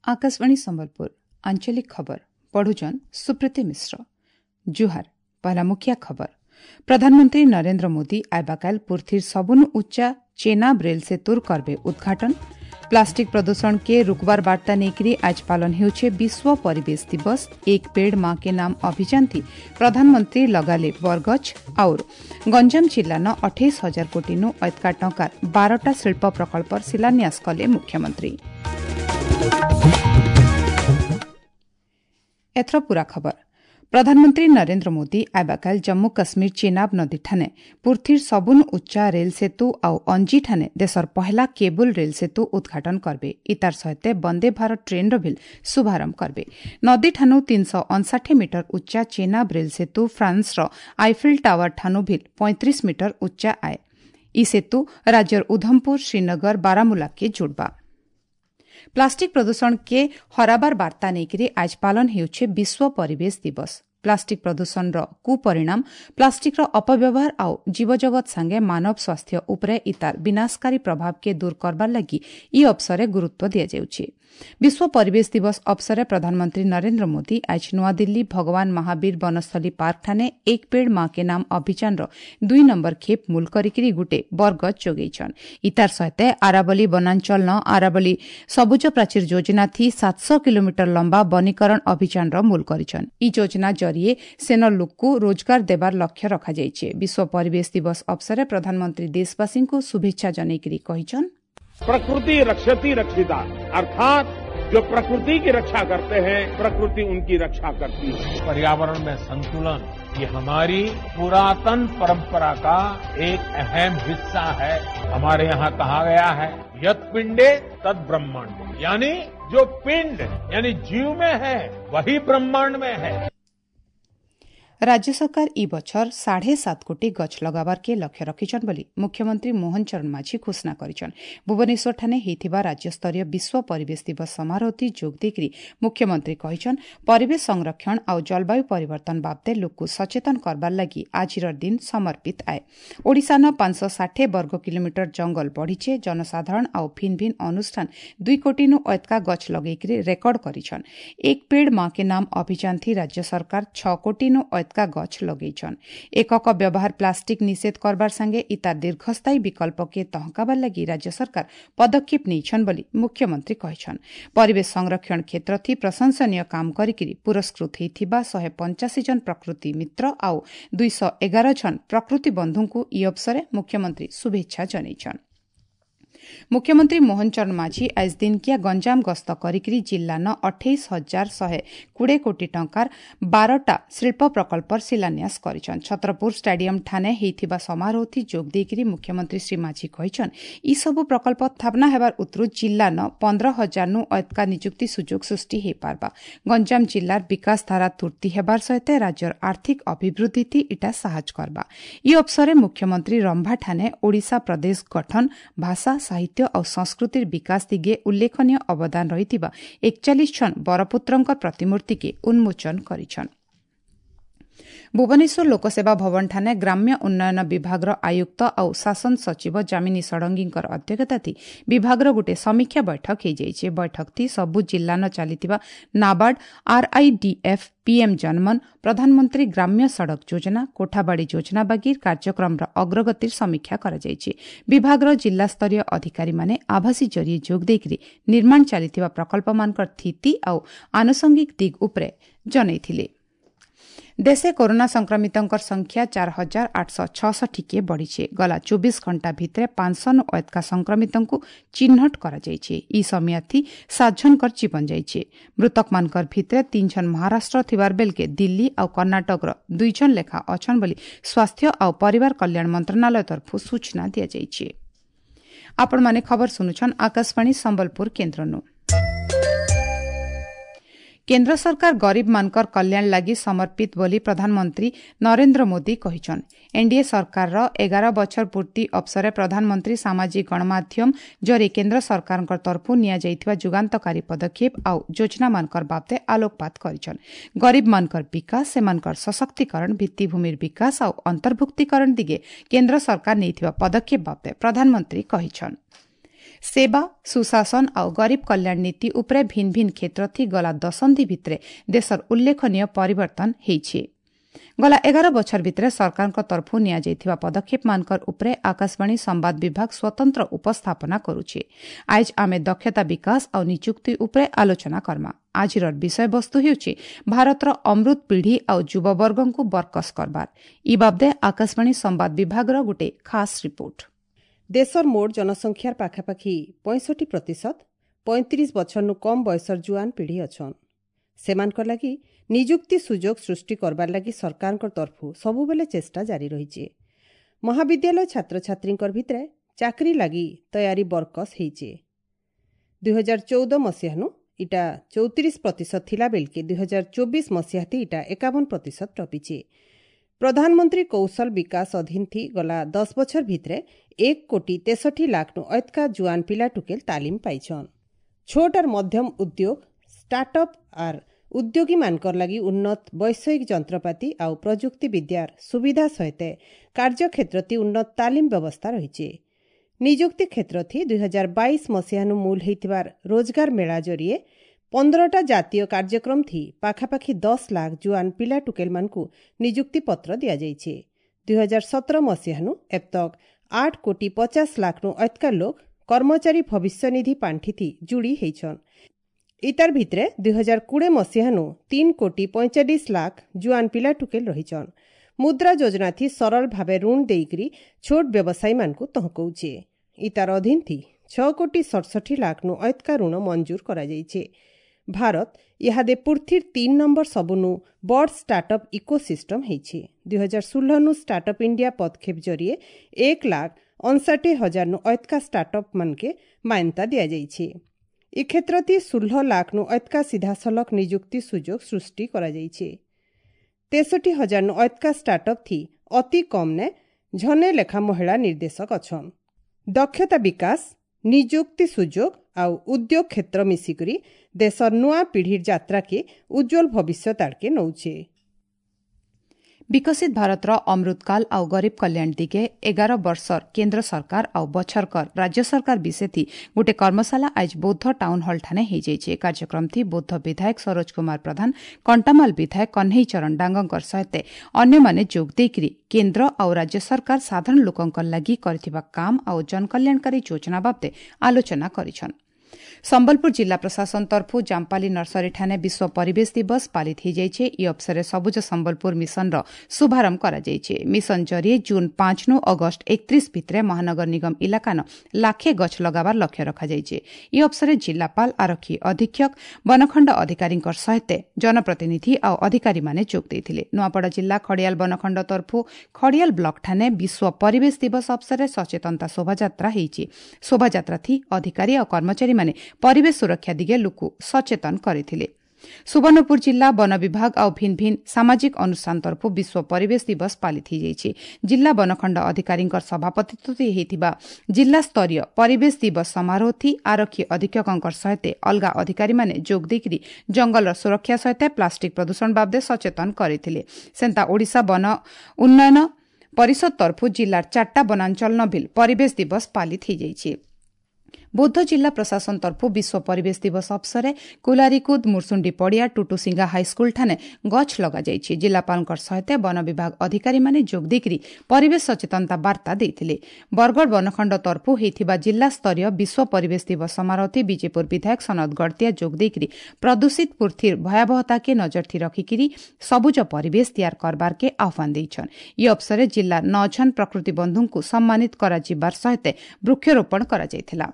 आकाशवाणी संबलपुर आंचलिक खबर पढ़ुचन सुप्रीति मिश्र। जुहार। पहला मुखिया खबर। प्रधानमंत्री नरेंद्र मोदी आइबाकाल पुर्थीर सबुनु उच्चा चेनाब रेल सेतुर करबे उद्घाटन। प्लास्टिक प्रदूषण के रुकबार बार्ता नेकरी आज पालन हेउछे विश्व परिवेश दिवस। एक पेड़ मां के नाम अभियान थी प्रधानमंत्री लगाले बरगछ। और गंजाम जिला न 28,000 कोटी नु अतका टंकार 12टा शिल्प प्रकल्पर शिलान्यास कले मुख्यमंत्री। एथर पूरा खबर। प्रधानमंत्री नरेंद्र मोदी आबाकाल जम्मू काश्मीर चेनाब नदी ठाने पुर्थीर सबुन उच्चा रेल सेतु आउ अंजी ठाने देशर पहला केबुल रेल सेतु उद्घाटन करबे। इतार सहित वंदे भारत ट्रेन र शुभारंभ करबे। नदी ठानु 359 मीटर उच्चा चेनाब रेल सेतु फ्रांस र आईफिल टावर ठानु भी 35 मीटर उच्चा आए। इ सेतु राज्यर उधमपुर, श्रीनगर, बारामूला के जोड़बा। प्लास्टिक प्रदूषण के हराबार बार्ता नेकरी आज पालन हेउछे विश्व परिवेश दिवस। प्लास्टिक प्रदूषण र कुपरिणाम, प्लास्टिक र अपव्यवहार आउ जीवजगत संगे मानव स्वास्थ्य उपरे इतार विनाशकारी प्रभाव के दूर करबार लागि इ अवसरे गुरुत्व दिया जाउछे। विश्व परिवेश दिवस अवसरे प्रधानमंत्री नरेंद्र मोदी आज नयादिल्ली भगवान महावीर वनस्थली पार्क ठाने एक पेड़ मां के नाम अभियान र 2 नंबर खेप मूल करिकरी गुटे बरगछ जोगेछन। इतार सहित आरावली वनांचल न आरावली सबुज प्राचीर योजना थी 700 किलोमीटर लंबा वनीकरण अभियान र मूल करिछन। इ योजना जरिए सेन लोकକୁ रोजगार देबार लक्ष्य रखा जाइছে। विश्व परिवेश दिवस अवसरे प्रधानमंत्री देशवासी को शुभेच्छा जनेकरी कहिछन, प्रकृति रक्षति रक्षिता, अर्थात जो प्रकृति की रक्षा करते हैं प्रकृति उनकी रक्षा करती है। पर्यावरण में संतुलन ये हमारी पुरातन परंपरा का एक अहम हिस्सा है। हमारे यहाँ कहा गया है यत पिंडे तद ब्रह्मांड, यानी जो पिंड यानी जीव में है वही ब्रह्मांड में है। राज्य सरकार इ बछर 7.5 कोटी गछ लगाबार के लक्ष्य रखिछन बोली मुख्यमंत्री मोहन चरण माझी घोषणा करिछन। भुवनेश्वर ठाने हेइथिबा राज्य स्तरीय विश्व परिवेश दिवस समारोहति जोग देकरी मुख्यमंत्री कहिछन, परिवेश संरक्षण आउ जलवायु परिवर्तन बाबते लोकको सचेतन करबार लागि आजिर दिन समर्पित आए। ओडिशा न 560 वर्ग किलोमीटर जंगल बढ़िछे। जनसाधारण आउ भिन्न भिन्न अनुष्ठान 2 कोटी नु अतका गछ लगेकरी रेकर्ड करिछन। एक पेड़ मां के नाम अभियान थी राज्य सरकार 6 कोटी नु का गछ लगेछन। एकक व्यवहार प्लास्टिक निषेध करबार संगे इतार दीर्घस्थायी विकल्प के तहकाबार लागि राज्य सरकार पदक्षेप नेछन बोली मुख्यमंत्री कहिछन। परिवेश संरक्षण क्षेत्र थी प्रशंसनीय काम करिकरी पुरस्कृत हेइथिबा 185 जन प्रकृति मित्र आउ 211 जन प्रकृति बंधुଙ୍କୁ इ अवसरे मुख्यमंत्री शुभेच्छा जनेछन। मुख्यमंत्री मोहन चरण माझी आज दिनकिया गंजाम गस्त करिकरी जिल्ला न 28,120 कोटी टंकार 12टा शिल्प प्रकल्पर शिलान्यास करिछन। छत्रपुर स्टेडियम ठाने हेइथिबा समारोहथि जोग देइकरी मुख्यमंत्री श्री माझी कहिछन, इ सबु प्रकल्प स्थापना हेबार उतरु जिल्ला न 15,000 नु अतका नियुक्ति सुযোগ सृष्टि हे पारबा। गंजाम जिल्लार विकास धारा तुर्ती हेबार सहित राज्यर आर्थिक अभिवृद्धि इटा साहाଯ୍य करबा। इ अवसरे मुख्यमंत्री रंभा ठाने ओडिशा प्रदेश गठन, भाषा, साहित्य और संस्कृतिर विकास दिगे उल्लेखनीय अवदान रहितिबा 41 जन बरपुत्रंकर प्रतिमूर्ति के उन्मोचन करिछन। भुवनेश्वर लोकसेवा भवन ठाने ग्राम्य उन्नयन विभागर आयुक्त आउ शासन सचिव जामिनी षडंगींकर अध्यक्षताथि विभागर गोटे समीक्षा बैठक हेइजाइছে। बैठक थी सबु जिल्ला न चालितिबा नाबार्ड, आरआईडीएफ, पीएम जनमन, प्रधानमंत्री ग्राम्य सड़क योजना, कोठाबाड़ी योजना बागीर कार्यक्रमर अग्रगतिर समीक्षा कराजाइছে। विभागर जिल्ला स्तरीय अधिकारी माने आभासी जरिए जोग देइकरी निर्माण चालितिबा प्रकल्पमानकर स्थिति आउ आनुषंगिक दिग उपरे जनेइथिले। देशे कोरोना संक्रमितंकर संख्या 4,866 के बढ़िছে। गला 24 घंटा भितरे 500 नु अतका संक्रमितंकु चिन्हट कराजाइছে। इ समियाथि 7 जनकर जीवन जाइছে। मृतकमानकर भितरे 3 जन महाराष्ट्र थिबार बेलके दिल्ली आउ कर्नाटकर 2 जन लेखा अछन बोली स्वास्थ्य आउ परिवार कल्याण मंत्रालय तरफु सूचना दिया जाइছে। आपण माने खबर सुनुछन आकाशवाणी संबलपुर केन्द्र नु। केन्द्र सरकार गरीब मानकर कल्याण लागि समर्पित बोली प्रधानमंत्री नरेंद्र मोदी कहिछन। एनडीए सरकार र 11 बछर पूर्ति अवसरे प्रधानमंत्री सामाजिक गणमाध्यम जरे केन्द्र सरकारଙ୍କ तरफु निया जुगान्तकारी पदक्षेप आउ योजना मानकर बाबते आलोकपात करिछन। गरीब मानकर विकास, सेमानकर सशक्तिकरण, भित्तिभूमिर विकास आउ अन्तर्भुक्तिकरण दिगे केन्द्र सरकार नेइथिबा पदक्षेप बाबते प्रधानमंत्री कहिछन। ସେବା, ସୁଶାସନ ଆଉ ଗରିବ କଲ୍ୟାଣ ନୀତି ଉପରେ ଭିନ୍ ଭିନ୍ କ୍ଷେତ୍ରଥି ଗଲା ଦଶନ୍ଧି ଭିତରେ ଦେଶର ଉଲ୍ଲେଖନୀୟ ପରିବର୍ତ୍ତନ ହେଇଛି। ଗଲା 11 ବଛର ଭିତରେ ସରକାରଙ୍କ ତରଫରୁ ନିଆଯାଇଥିବା ପଦକ୍ଷେପମାନଙ୍କର ଉପରେ ଆକାଶବାଣୀ ସମ୍ବାଦ ବିଭାଗ ସ୍ୱତନ୍ତ୍ର ଉପସ୍ଥାପନା କରୁଛି। ଆଜି ଆମେ ଦକ୍ଷତା ବିକାଶ ଆଉ ନିଯୁକ୍ତି ଉପରେ ଆଲୋଚନା କର୍ମା। ଆଜିର ବିଷୟବସ୍ତୁ ହେଉଛି ଭାରତର ଅମୃତ ପିଢ଼ି ଆଉ ଯୁବବର୍ଗଙ୍କୁ ବରକସ କରବାର। ଇ ବାବଦେ ଆକାଶବାଣୀ ସମ୍ବାଦ ବିଭାଗର ଗୋଟେ ଖାସ୍ ରିପୋର୍ଟ। ଦେଶର ମୋଟ ଜନସଂଖ୍ୟାର ପାଖାପାଖି 65% 35 ବଛରନୁ କମ୍ ବୟସର ଜୁଆନ ପିଢ଼ି ଅଛନ୍। ସେମାନଙ୍କର ଲାଗି ନିଯୁକ୍ତି ସୁଯୋଗ ସୃଷ୍ଟି କରବାର ଲାଗି ସରକାରଙ୍କ ତରଫରୁ ସବୁବେଳେ ଚେଷ୍ଟା ଜାରି ରହିଛି। ମହାବିଦ୍ୟାଳୟ ଛାତ୍ରଛାତ୍ରୀଙ୍କର ଭିତରେ ଚାକିରି ଲାଗି ତୟାରୀ ବରକସ ହେଇଛି। 2014 ମସିହାନୁ ଇଟା 34% ଥିଲା ବେଲକେ 2024 ମସିହାତି ଇଟା 51% ଟପିଛି। ପ୍ରଧାନମନ୍ତ୍ରୀ କୌଶଳ ବିକାଶ ଅଧୀନଥି ଗଲା 10 ବଛର ଭିତରେ 1 କୋଟି 63 ଲାଖନୁ ଅଏତକା ଜୁଆନ ପିଲା ଟୁକେଲ ତାଲିମ ପାଇଛନ୍। ଛୋଟ ଆର୍ ମଧ୍ୟମ ଉଦ୍ୟୋଗ, ଷ୍ଟାର୍ଟଅପ୍ ଆର୍ ଉଦ୍ୟୋଗୀମାନଙ୍କର ଲାଗି ଉନ୍ନତ ବୈଷୟିକ ଯନ୍ତ୍ରପାତି ଆଉ ପ୍ରଯୁକ୍ତି ବିଦ୍ୟାର ସୁବିଧା ସହିତ କାର୍ଯ୍ୟକ୍ଷେତ୍ରତି ଉନ୍ନତ ତାଲିମ ବ୍ୟବସ୍ଥା ରହିଛି। ନିଯୁକ୍ତି କ୍ଷେତ୍ରଥି 2022 ମସିହାନୁ ମୂଲ ହେଇଥିବାର ରୋଜଗାର ମେଳା ଜରିଏ 15ଟା ଜାତୀୟ କାର୍ଯ୍ୟକ୍ରମ ଥି ପାଖାପାଖି 10 ଲାଖ ଜୁଆନ ପିଲା ଟୁକେଲମାନଙ୍କୁ ନିଯୁକ୍ତି ପତ୍ର ଦିଆଯାଇଛି। 2017 ମସିହାନୁ ଏବତକ 8 କୋଟି 50 ଲାଖନୁ ଅଏତକା ଲୋକ କର୍ମଚାରୀ ଭବିଷ୍ୟନିଧି ପାଣ୍ଠିଥି ଯୋଡ଼ି ହେଇଛନ୍। ଇତାର ଭିତରେ 2020 ମସିହାନୁ 3 କୋଟି 45 ଲାଖ ଜୁଆନ ପିଲା ଟୁକେଲ ରହିଛନ୍। ମୁଦ୍ରା ଯୋଜନାଥି ସରଳ ଭାବେ ଋଣ ଦେଇକରି ଛୋଟ ବ୍ୟବସାୟୀମାନଙ୍କୁ ତହକଉଛେ। ଇତାର ଅଧୀନଥି 6 କୋଟି 67 ଲାଖନୁ ଅଏତକା ଋଣ ମଞ୍ଜୁର କରାଯାଇଛି। ଭାରତ ଇହାଦେ ପୃଥିବୀର 3 ନମ୍ବର ସବୁନୁ ବଡ଼ ଷ୍ଟାର୍ଟଅପ୍ ଇକୋସିଷ୍ଟମ ହେଇଛି। 2016ନୁ ଷ୍ଟାର୍ଟଅପ୍ ଇଣ୍ଡିଆ ପଦକ୍ଷେପ ଜରିଏ 1 ଲାଖ 59 ହଜାରନୁ ଅଏତକା ଷ୍ଟାର୍ଟଅପ୍ ମାନକେ ମାନ୍ୟତା ଦିଆଯାଇଛି। ଏ କ୍ଷେତ୍ରତି 16 ଲାଖନୁ ଅଏତକା ସିଧାସଳଖ ନିଯୁକ୍ତି ସୁଯୋଗ ସୃଷ୍ଟି କରାଯାଇଛି। 63 ହଜାରନୁ ଅଏତକା ଷ୍ଟାର୍ଟଅପ୍ ଥି ଅତି କମ୍ନେ ଝନେ ଲେଖା ମହିଳା ନିର୍ଦ୍ଦେଶକ ଅଛନ୍। ଦକ୍ଷତା ବିକାଶ, ନିଯୁକ୍ତି ସୁଯୋଗ ଆଉ ଉଦ୍ୟୋଗ କ୍ଷେତ୍ର ମିଶିକରି ଦେଶର ନୂଆ ପିଢ଼ିର ଯାତ୍ରାକେ ଉଜ୍ଜ୍ୱଳ ଭବିଷ୍ୟତ ଆଡ଼କେ ନଉଛେ। ବିକଶିତ ଭାରତର ଅମୃତକାଲ ଆଉ ଗରିବ କଲ୍ୟାଣ ଦିଗେ 11 ବର୍ଷର କେନ୍ଦ୍ର ସରକାର ଆଉ ବଛରକର ରାଜ୍ୟ ସରକାର ବିଷେଥି ଗୋଟେ କର୍ମଶାଳା ଆଜ ବୌଦ୍ଧ ଟାଉନ ହଲ୍ଠାନେ ହେଇଯାଇଛି। କାର୍ଯ୍ୟକ୍ରମଥି ବୌଦ୍ଧ ବିଧାୟକ ସରୋଜ କୁମାର ପ୍ରଧାନ, କଣ୍ଟାମାଲ ବିଧାୟକ କହ୍ନେଇ ଚରଣ ଡାଙ୍ଗଙ୍କର ସହିତ ଅନ୍ୟମାନେ ଯୋଗ ଦେଇକରି କେନ୍ଦ୍ର ଆଉ ରାଜ୍ୟ ସରକାର ସାଧାରଣ ଲୋକଙ୍କ ଲାଗି କରିଥିବା କାମ ଆଉ ଜନକଲ୍ୟାଣକାରୀ ଯୋଜନା ବାବଦେ ଆଲୋଚନା କରିଛନ୍। ସମ୍ବଲପୁର ଜିଲ୍ଲା ପ୍ରଶାସନ ତରଫରୁ ଜାମ୍ପାଲି ନର୍ସରୀଠାନେ ବିଶ୍ୱ ପରିବେଶ ଦିବସ ପାଳିତ ହୋଇଯାଇଛି। ଏହି ଅବସରରେ ସବୁଜ ସମ୍ବଲପୁର ମିଶନର ଶୁଭାରମ୍ଭ କରାଯାଇଛି। ମିଶନ ଜରିଏ ଜୁନ୍ 5ନୁ ଅଗଷ୍ଟ 31 ଭିତରେ ମହାନଗର ନିଗମ ଇଲାକାନ ଲାଖେ ଗଛ ଲଗାବାର ଲକ୍ଷ୍ୟ ରଖାଯାଇଛି। ଏହି ଅବସରରେ ଜିଲ୍ଲାପାଳ, ଆରକ୍ଷୀ ଅଧୀକ୍ଷକ, ବନଖଣ୍ଡ ଅଧିକାରୀଙ୍କ ସହିତ ଜନପ୍ରତିନିଧି ଆଉ ଅଧିକାରୀମାନେ ଯୋଗ ଦେଇଥିଲେ। ନୂଆପଡ଼ା ଜିଲ୍ଲା ଖଡ଼ିଆଲ ବନଖଣ୍ଡ ତରଫରୁ ଖଡ଼ିଆଲ ବ୍ଲକଠାନେ ବିଶ୍ୱ ପରିବେଶ ଦିବସ ଅବସରରେ ସଚେତନତା ଶୋଭାଯାତ୍ରା ହେଇଛି। ଶୋଭାଯାତ୍ରାଥି ଅଧିକାରୀ ଆଉ କର୍ମଚାରୀମାନେ ପରିବେଶ ସୁରକ୍ଷା ଦିଗେ ଲୋକ ସଚେତନ କରିଥିଲେ। ସୁବର୍ଣ୍ଣପୁର ଜିଲ୍ଲା ବନ ବିଭାଗ ଆଉ ଭିନ୍ ଭିନ୍ ସାମାଜିକ ଅନୁଷ୍ଠାନ ତରଫରୁ ବିଶ୍ୱ ପରିବେଶ ଦିବସ ପାଳିତ ହୋଇଯାଇଛି। ଜିଲ୍ଲା ବନଖଣ୍ଡ ଅଧିକାରୀଙ୍କ ସଭାପତିତ୍ୱରେ ହୋଇଥିବା ଜିଲ୍ଲାସ୍ତରୀୟ ପରିବେଶ ଦିବସ ସମାରୋହଥି ଆରକ୍ଷୀ ଅଧୀକ୍ଷକଙ୍କ ସହିତ ଅଲଗା ଅଧିକାରୀମାନେ ଯୋଗ ଦେଇକରି ଜଙ୍ଗଲର ସୁରକ୍ଷା ସହିତ ପ୍ଲାଷ୍ଟିକ ପ୍ରଦୂଷଣ ବାବଦେ ସଚେତନ କରିଥିଲେ। ସେନ୍ତା ଓଡ଼ିଶା ବନ ଉନ୍ନୟନ ପରିଷଦ ତରଫରୁ ଜିଲ୍ଲାର ଚାରିଟା ବନାଞ୍ଚଳ ନଭିଲ ପରିବେଶ ଦିବସ ପାଳିତ ହୋଇଯାଇଛି। ବୌଦ୍ଧ ଜିଲ୍ଲା ପ୍ରଶାସନ ତରଫରୁ ବିଶ୍ୱ ପରିବେଶ ଦିବସ ଅବସରରେ କୁଲାରିକୁଦ ମୁର୍ସୁଣ୍ଡି ପଡ଼ିଆ ଟୁଟୁସିଙ୍ଗା ହାଇସ୍କୁଲଠାରେ ଗଛ ଲଗାଯାଇଛି। ଜିଲ୍ଲାପାଳଙ୍କ ସହିତ ବନ ବିଭାଗ ଅଧିକାରୀମାନେ ଯୋଗ ଦେଇକରି ପରିବେଶ ସଚେତନତା ବାର୍ତ୍ତା ଦେଇଥିଲେ। ବରଗଡ଼ ବନଖଣ୍ଡ ତରଫରୁ ହୋଇଥିବା ଜିଲ୍ଲାସ୍ତରୀୟ ବିଶ୍ୱ ପରିବେଶ ଦିବସ ସମାରୋହରେ ବିଜେପୁର ବିଧାୟକ ସନତ ଗଡ଼ତିଆ ଯୋଗ ଦେଇକରି ପ୍ରଦୂଷିତ ପୃଥିବୀର ଭୟାବହତାକେ ନଜରଥି ରଖିକିରି ସବୁଜ ପରିବେଶ ତିଆର କରବାରକେ ଆହ୍ୱାନ ଦେଇଛନ୍। ଏହି ଅବସରରେ ଜିଲ୍ଲା ନଅ ଜଣ ପ୍ରକୃତି ବନ୍ଧୁଙ୍କୁ ସମ୍ମାନିତ କରାଯିବାର ସହିତ ବୃକ୍ଷରୋପଣ କରାଯାଇଥିଲା।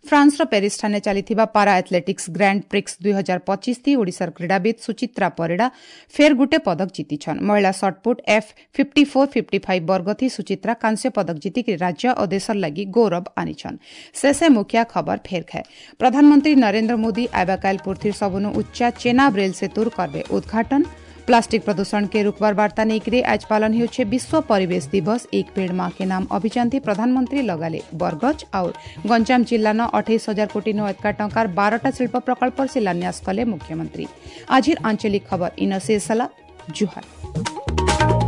ଫ୍ରାନ୍ସର ପ୍ୟାରିସଠାରେ ଚାଲିଥିବା ପାରା ଆଥଲେଟିକ୍ସ ଗ୍ରାଣ୍ଡ ପ୍ରିକ୍ସ 2025 ଓଡ଼ିଶାର କ୍ରୀଡ଼ାବିତ୍ ସୁଚିତ୍ରା ପରିଡ଼ା ଫେର୍ ଗୁଟେ ପଦକ ଜିତିଛନ୍। ମହିଳା ସଟ୍ପୁଟ୍ F54 55 ବର୍ଗଥି ସୁଚିତ୍ରା କାଂସ୍ୟ ପଦକ ଜିତିକି ରାଜ୍ୟ ଓ ଦେଶର ଲାଗି ଗୌରବ ଆନିଛନ୍। ଶେଷେ ମୁଖିଆ ଖବର ଫେର୍ ଖାଏ। ପ୍ରଧାନମନ୍ତ୍ରୀ ନରେନ୍ଦ୍ର ମୋଦି ଆଇବାକାଇଲ ପୃଥିବୀର ସବୁନୁ ଉଚ୍ଚା ଚେନାବ ରେଲ ସେତୁର କରବେ ଉଦ୍ଘାଟନ। प्लास्टिक प्रदूषण के रुकवार वार्ता नेकरे आज पालन हेउछे विश्व परिवेश दिवस। एक पेड़ मां के नाम अभियान थी प्रधानमंत्री लगाले बरगछ। और गंजाम जिला न 28 हजार कोटी नो एतका टंकार 12टा शिल्प प्रकल्प शिलान्यास कले मुख्यमंत्री। आजिर आंचलिक खबर इन शेष। जुहार।